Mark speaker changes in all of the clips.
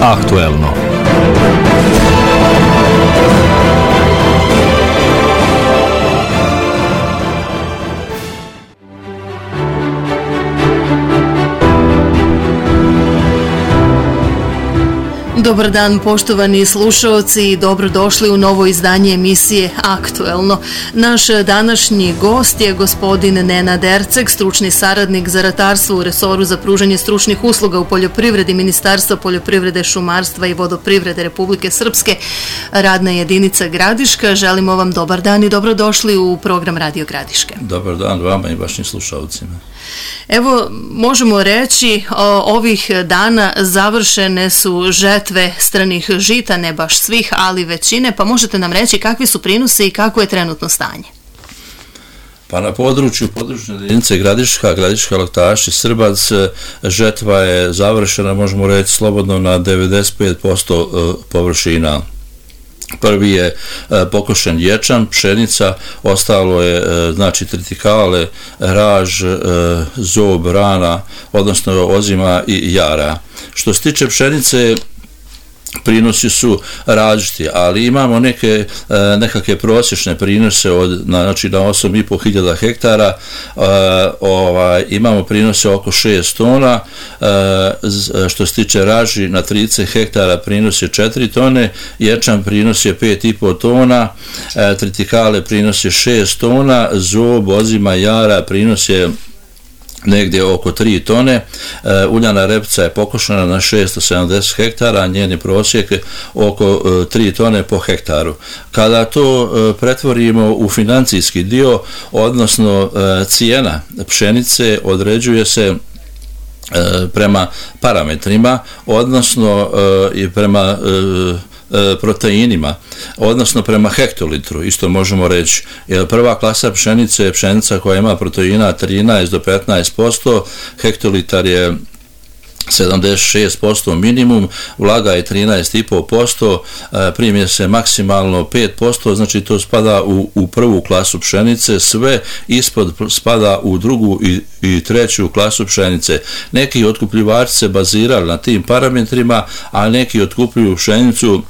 Speaker 1: Aktuelno.
Speaker 2: Dobar dan poštovani slušaoci i dobrodošli u novo izdanje emisije Aktuelno. Naš današnji gost je gospodin Nenad Erceg, stručni saradnik za ratarstvo u resoru za pružanje stručnih usluga u poljoprivredi Ministarstva poljoprivrede, šumarstva i vodoprivrede Republike Srpske, radna jedinica Gradiška. Želimo vam dobar dan i dobrodošli u program Radio Gradiške.
Speaker 3: Dobar dan vama i vašim slušalcima.
Speaker 2: Evo, možemo reći, ovih dana završene su žetve stranih žita, ne baš svih, ali većine, pa možete nam reći kakvi su prinosi i kako je trenutno stanje?
Speaker 3: Pa na području područne jedinice Gradiška, Laktaši, Srbac, žetva je završena, možemo reći slobodno, na 95% površina. Prvi je pokošen ječam, pšenica, ostalo je znači tritikale, raž, zob, rana, odnosno ozima i jara. Što se tiče pšenice, prinosi su različiti, ali imamo nekakve prosječne prinose znači na 8.500 hektara, imamo prinose oko 6 tona, što se tiče raži na 30 hektara prinos je 4 tone, ječam prinos je 5,5 tona, tritikale prinos je 6 tona, zob, ozima, jara prinos je negdje oko 3 tone, uljana repica je pokošena na 670 hektara, njeni prosjek oko 3 tone po hektaru. Kada to pretvorimo u financijski dio, odnosno cijena pšenice određuje se prema parametrima, odnosno i prema proteinima, odnosno prema hektolitru, isto možemo reći. Jer prva klasa pšenice je pšenica koja ima proteina 13 do 15%, hektolitar je 76% minimum, vlaga je 13,5%, primje se maksimalno 5%, znači to spada u prvu klasu pšenice, sve ispod spada u drugu i treću klasu pšenice. Neki otkupljivači se bazirali na tim parametrima, a neki otkupljuju pšenicu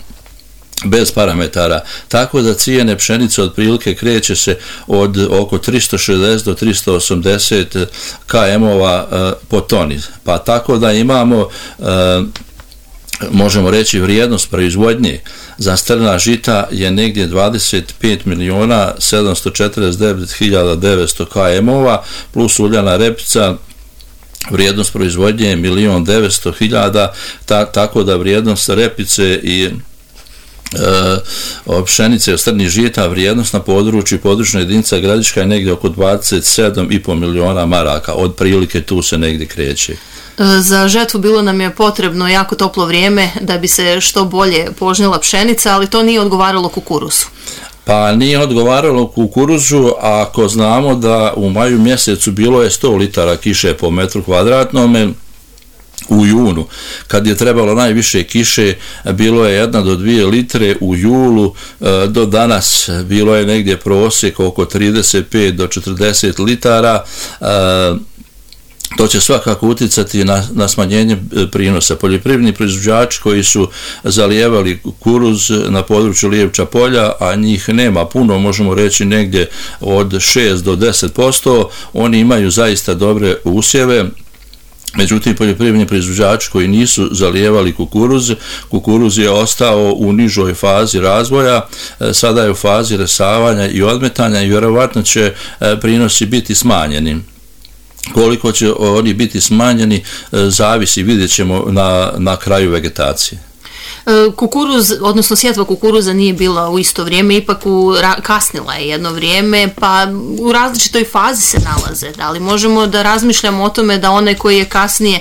Speaker 3: bez parametara, tako da cijene pšenice otprilike kreće se od oko 360 do 380 km-ova po toni. Pa tako da imamo, možemo reći, vrijednost proizvodnje za strna žita je negdje 25.749.900 km-ova plus uljana repica, vrijednost proizvodnje je 1.900.000, tako da vrijednost repice i pšenice od strnih žita, vrijednost na području područna jedinica Gradiška je negdje oko 27,5 miliona maraka, od prilike tu se negdje kreće.
Speaker 2: Za žetvu bilo nam je potrebno jako toplo vrijeme da bi se što bolje požnjela pšenica, ali to nije odgovaralo kukuruzu.
Speaker 3: Pa nije odgovaralo kukuruzu, ako znamo da u maju mjesecu bilo je 100 litara kiše po metru kvadratnome, u junu, kad je trebalo najviše kiše, bilo je 1 do 2 litre, u julu do danas bilo je negdje prosjek oko 35 do 40 litara, to će svakako utjecati na smanjenje prinosa. Poljoprivredni proizvođači koji su zalijevali kukuruz na području Lijevča polja, a njih nema puno, možemo reći negdje od 6 do 10%, oni imaju zaista dobre usjeve. Međutim, poljoprivredni proizvođači koji nisu zalijevali kukuruz je ostao u nižoj fazi razvoja, sada je u fazi resavanja i odmetanja i vjerovatno će prinosi biti smanjeni. Koliko će oni biti smanjeni zavisi, vidjet ćemo na kraju vegetacije.
Speaker 2: Kukuruz, odnosno sjetva kukuruza nije bila u isto vrijeme, ipak kasnila je jedno vrijeme, pa u različitoj fazi se nalaze. Da li možemo da razmišljamo o tome da onaj koji je kasnije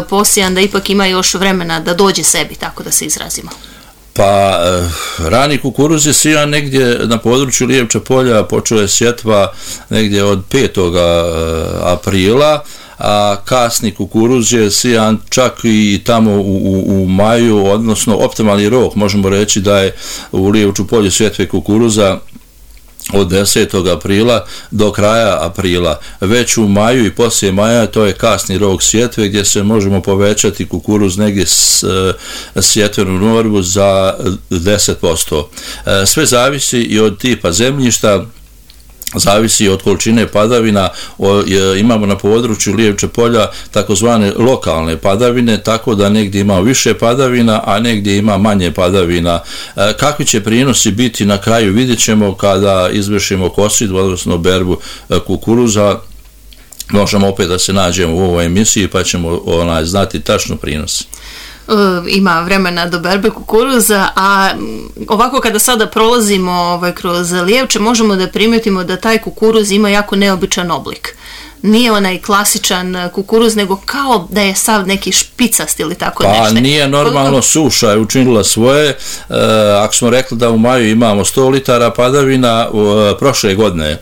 Speaker 2: posijan da ipak ima još vremena da dođe sebi, tako da se izrazimo?
Speaker 3: Pa rani kukuruz je sijan negdje na području Lijevča polja, počeo je sjetva negdje od 5. aprila, a kasni kukuruz je sijan čak i tamo u maju, odnosno optimalni rok, možemo reći da je u Lijevču polju sjetve kukuruza od 10. aprila do kraja aprila. Već u maju i poslije maja to je kasni rok sjetve gdje se možemo povećati kukuruz negdje sjetvenu normu za 10%. Sve zavisi i od tipa zemljišta, zavisi od količine padavina. Imamo na području Lijevče polja takozvane lokalne padavine, tako da negdje ima više padavina, a negdje ima manje padavina. Kakvi će prinosi biti na kraju vidjet ćemo kada izvršimo kosidbu, odnosno berbu kukuruza. Možemo opet da se nađemo u ovoj emisiji pa ćemo znati tačno prinos.
Speaker 2: Ima vremena do berbe kukuruza, a ovako kada sada prolazimo kroz Lijevče možemo da primijetimo da taj kukuruz ima jako neobičan oblik. Nije onaj klasičan kukuruz, nego kao da je sav neki špicast ili tako nešto.
Speaker 3: Pa nije normalno, suša je učinila svoje. Ako smo rekli da u maju imamo 100 litara padavina, prošle godine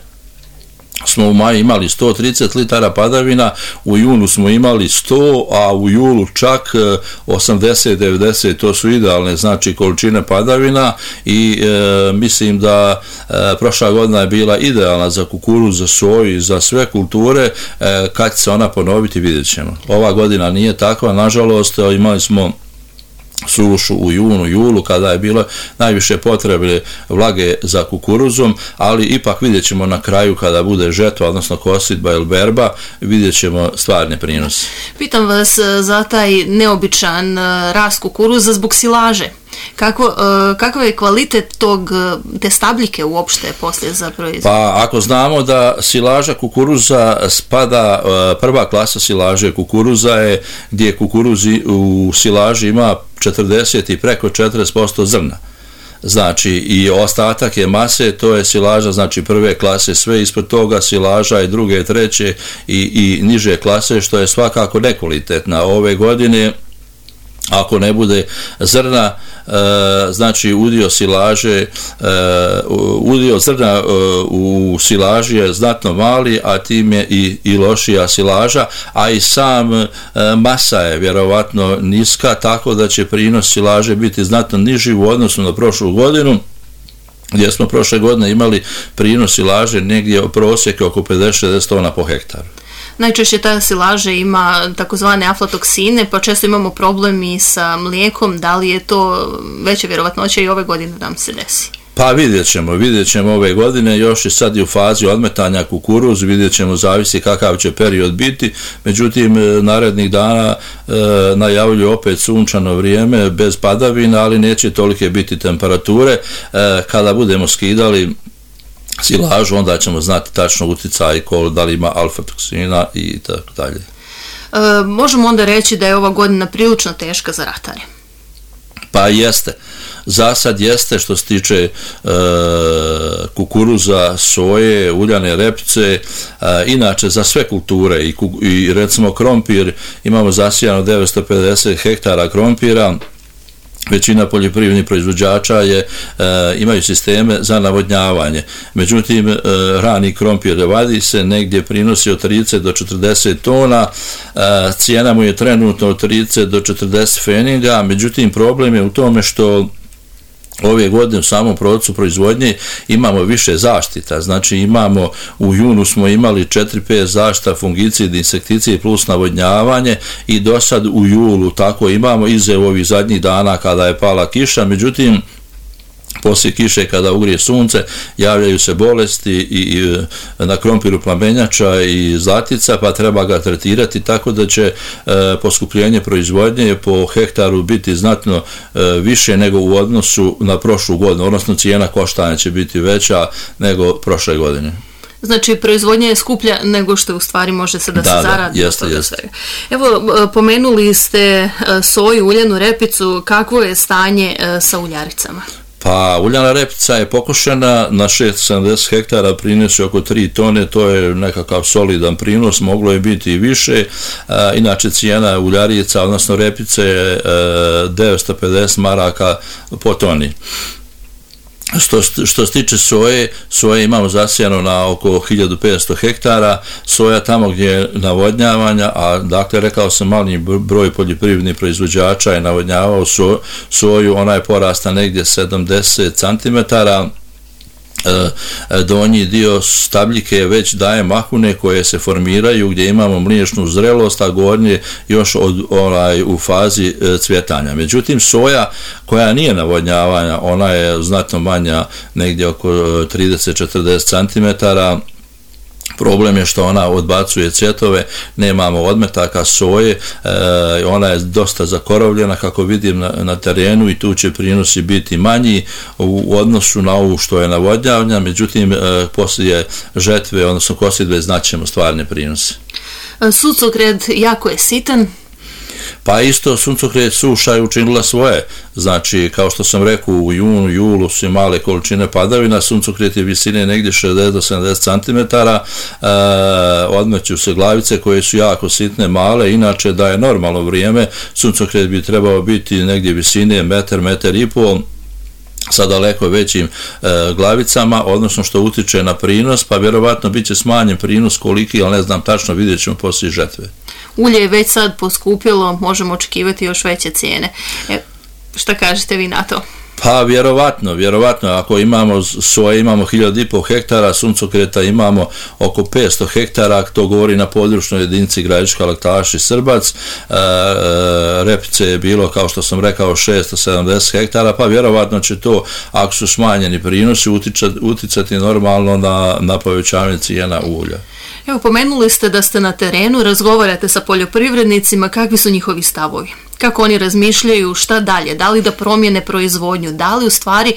Speaker 3: smo u maju imali 130 litara padavina, u junu smo imali 100, a u julu čak 80-90, to su idealne znači količine padavina i mislim da prošla godina je bila idealna za kukuruz, za soju i za sve kulture. Kad će se ona ponoviti vidjet ćemo. Ova godina nije takva, nažalost. Imali smo sušu u julu, kada je bilo najviše potrebe vlage za kukuruzom, ali ipak vidjet ćemo na kraju kada bude žetva, odnosno kosidba ili berba, vidjet ćemo stvarne prinose.
Speaker 2: Pitam vas za taj neobičan rast kukuruza zbog silaže. Kakav je kvalitet te stabljike uopšte poslije za proizvod?
Speaker 3: Pa ako znamo da silaža kukuruza spada, prva klasa silaže kukuruza je gdje kukuruz u silaži ima 40 i preko 40% zrna. Znači i ostatak je mase, to je silaža znači prve klase, sve ispod toga silaža i druge, treće i niže klase, što je svakako nekvalitetna. Ove godine ako ne bude zrna, znači udio zrna u silaži je znatno mali, a tim je i lošija silaža, a i sam masa je vjerovatno niska, tako da će prinos silaže biti znatno niži u odnosu na prošlu godinu, gdje smo prošle godine imali prinos silaže negdje u prosjeku oko 50-60 tona po hektaru.
Speaker 2: Najčešće ta silaža ima takozvane aflatoksine, pa često imamo problem i sa mlijekom. Da li je to veća vjerovatnoća i ove godine da nam se desi?
Speaker 3: Pa vidjet ćemo ove godine, još je sad i u fazi odmetanja kukuruz, vidjet ćemo, zavisi kakav će period biti, međutim narednih dana najavljuju opet sunčano vrijeme bez padavina, ali neće tolike biti temperature. Kada budemo skidali silažu, onda ćemo znati tačno utjecaj da li ima alfa-toksina i tako dalje.
Speaker 2: Možemo onda reći da je ova godina prilično teška za ratare?
Speaker 3: Pa jeste. Za sad jeste što se tiče kukuruza, soje, uljane repice, inače za sve kulture i recimo krompir, imamo zasijano 950 hektara krompira. Većina poljoprivrednih proizvođača imaju sisteme za navodnjavanje. Međutim, rani krompir vadi se, negdje prinosi od 30 do 40 tona, cijena mu je trenutno od 30 do 40 feninga, međutim problem je u tome što ove godine u samom procesu proizvodnje imamo više zaštita, znači imamo u junu smo imali 4-5 zaštita, fungicid, insekticid plus navodnjavanje i do sad u julu tako imamo iza ovih zadnjih dana kada je pala kiša, međutim poslije kiše kada ugrije sunce javljaju se bolesti i na krompiru plamenjača i zlatica, pa treba ga tretirati, tako da će poskupljenje proizvodnje po hektaru biti znatno više nego u odnosu na prošlu godinu, odnosno cijena koštanja će biti veća nego prošle godine.
Speaker 2: Znači, proizvodnja je skuplja nego što u stvari može se da se zaradi.
Speaker 3: Jeste.
Speaker 2: Evo, pomenuli ste soju, uljanu repicu, kakvo je stanje sa uljaricama?
Speaker 3: Pa uljana repica je pokošena na 670 hektara, prinosi oko 3 tone, to je nekakav solidan prinos, moglo je biti i više. Inače cijena uljarica, odnosno repice je 950 maraka po toni. Što se tiče soje imamo zasijano na oko 1500 hektara, soja tamo gdje je navodnjavanja, a dakle rekao sam mali broj poljoprivrednih proizvođača je navodnjavao soju, ona je porasta negdje 70 cm, donji dio stabljike već daje mahune koje se formiraju gdje imamo mliječnu zrelost, a gornje još u fazi cvjetanja. Međutim, soja koja nije navodnjavanja, ona je znatno manja, negdje oko 30-40 cm. Problem je što ona odbacuje cvjetove, nemamo odmetaka soje, ona je dosta zakorovljena kako vidim na terenu i tu će prinosi biti manji u odnosu na ovu što je navodnjavanja, međutim poslije žetve, odnosno kosidbe, znaćemo stvarne prinose.
Speaker 2: Suncokret jako je sitan.
Speaker 3: Pa isto suncokret suša je učinila svoje, znači kao što sam rekao u junu, julu su male količine padavina, suncokret je visine negdje 60 do 70 cm, odmeću se glavice koje su jako sitne, male, inače da je normalno vrijeme, suncokret bi trebao biti negdje visine metar, metar i pol, sa daleko većim glavicama, odnosno što utiče na prinos, pa vjerovatno bit će smanjen prinos koliki, ali ne znam tačno, vidjet ćemo poslije žetve.
Speaker 2: Ulje je već sad poskupilo, možemo očekivati još veće cijene. Šta kažete vi na to?
Speaker 3: Pa vjerovatno, ako imamo soje, imamo 1500 hektara, suncokreta imamo oko 500 hektara, to govori na područnoj jedinici Gradiška, Laktaš i Srbac, repice je bilo, kao što sam rekao, 670 hektara, pa vjerovatno će to, ako su smanjeni prinosi, uticati normalno na povećanje cijena ulja.
Speaker 2: Evo, pomenuli ste da ste na terenu, razgovarate sa poljoprivrednicima, kakvi su njihovi stavovi? Kako oni razmišljaju, šta dalje? Da li da promijene proizvodnju? Da li u stvari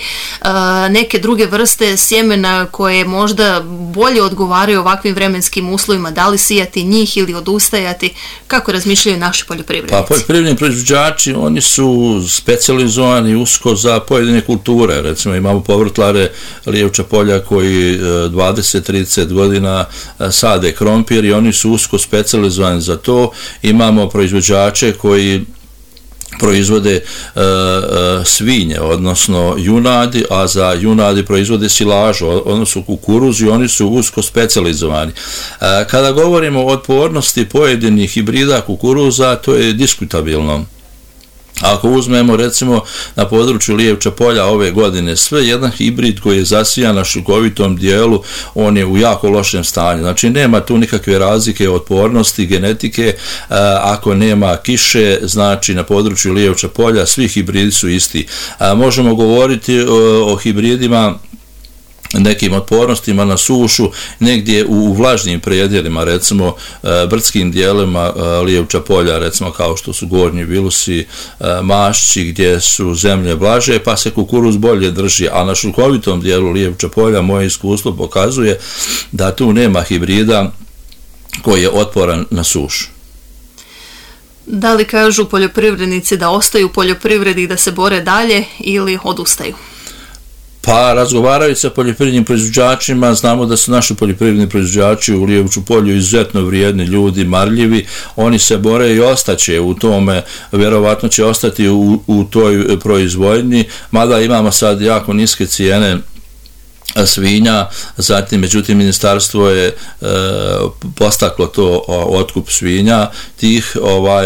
Speaker 2: neke druge vrste sjemena koje možda bolje odgovaraju ovakvim vremenskim uslovima? Da li sijati njih ili odustajati? Kako razmišljaju naši poljoprivrednici?
Speaker 3: Pa poljoprivredni proizvođači, oni su specijalizovani usko za pojedine kulture. Recimo imamo povrtlare Lijevča polja koji 20-30 godina sade krompir i oni su usko specijalizovani za to. Imamo proizvođače koji proizvode svinje, odnosno junadi, a za junadi proizvode silažu, odnosno kukuruz, i oni su usko specijalizovani. Kada govorimo o otpornosti pojedinih hibrida kukuruza, to je diskutabilno. Ako uzmemo recimo na području Lijevča polja ove godine sve, jedan hibrid koji je zasijan na šukovitom dijelu, on je u jako lošem stanju. Znači nema tu nikakve razlike otpornosti, genetike. Ako nema kiše, znači na području Lijevča polja svi hibridi su isti. Možemo govoriti o hibridima, nekim otpornostima na sušu, negdje u vlažnim predjelima, recimo brdskim dijelima Lijevča polja, recimo kao što su Gornji Vilusi, Mašći, gdje su zemlje blaže, pa se kukuruz bolje drži, a na šukovitom dijelu Lijevča polja moje iskustvo pokazuje da tu nema hibrida koji je otporan na sušu.
Speaker 2: Da li kažu poljoprivrednici da ostaju u poljoprivredi i da se bore dalje ili odustaju?
Speaker 3: Pa razgovarajući sa poljoprivrednim proizvođačima, znamo da su naši poljoprivredni proizvođači u Lijevču polju izuzetno vrijedni ljudi, marljivi, oni se bore i ostaće u tome, vjerovatno će ostati u toj proizvodnji, mada imamo sad jako niske cijene svinja, zatim međutim ministarstvo je postaklo to otkup svinja tih,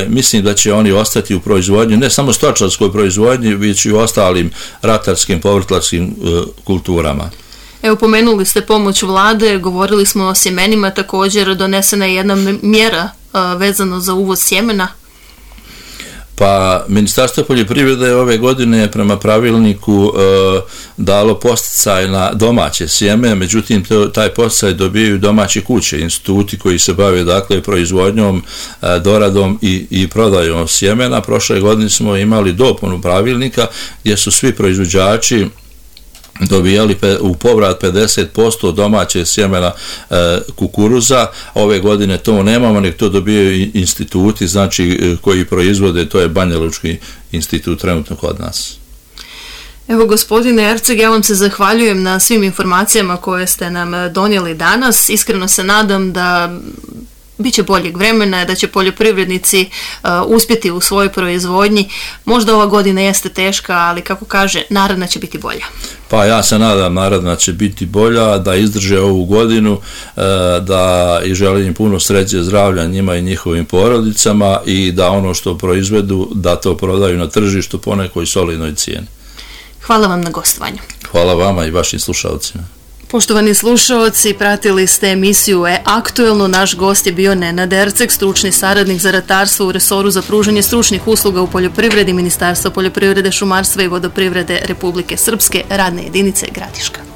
Speaker 3: mislim da će oni ostati u proizvodnji, ne samo stočarskoj proizvodnji, već i u ostalim ratarskim, povrtlarskim kulturama.
Speaker 2: Evo, pomenuli ste pomoć vlade, govorili smo o sjemenima, također donesena je jedna mjera vezano za uvoz sjemena.
Speaker 3: Pa Ministarstvo poljoprivrede je ove godine prema pravilniku dalo podsticaj na domaće sjeme, međutim taj podsticaj dobijaju domaće kuće, instituti koji se bave dakle proizvodnjom, doradom i prodajom sjemena. Prošle godine smo imali dopunu pravilnika gdje su svi proizvođači dobijali u povrat 50% domaće sjemena kukuruza. Ove godine to nemamo, nek to dobijaju instituti, znači koji proizvode, to je Banja Lučki institut trenutno kod nas.
Speaker 2: Evo, gospodine Erceg, ja vam se zahvaljujem na svim informacijama koje ste nam donijeli danas. Iskreno se nadam da biće boljeg vremena, da će poljoprivrednici uspjeti u svojoj proizvodnji. Možda ova godina jeste teška, ali kako kaže, naredna će biti bolja.
Speaker 3: Pa ja se nadam naredna će biti bolja, da izdrže ovu godinu, da i želim im puno sreće, zdravlja njima i njihovim porodicama i da ono što proizvedu, da to prodaju na tržištu po nekoj solidnoj cijeni.
Speaker 2: Hvala vam na gostovanju.
Speaker 3: Hvala vama i vašim slušalcima.
Speaker 2: Poštovani slušaoci, pratili ste emisiju Aktuelno. Naš gost je bio Nenad Erceg, stručni saradnik za ratarstvo u resoru za pružanje stručnih usluga u poljoprivredi Ministarstva poljoprivrede, šumarstva i vodoprivrede Republike Srpske, radne jedinice Gradiška.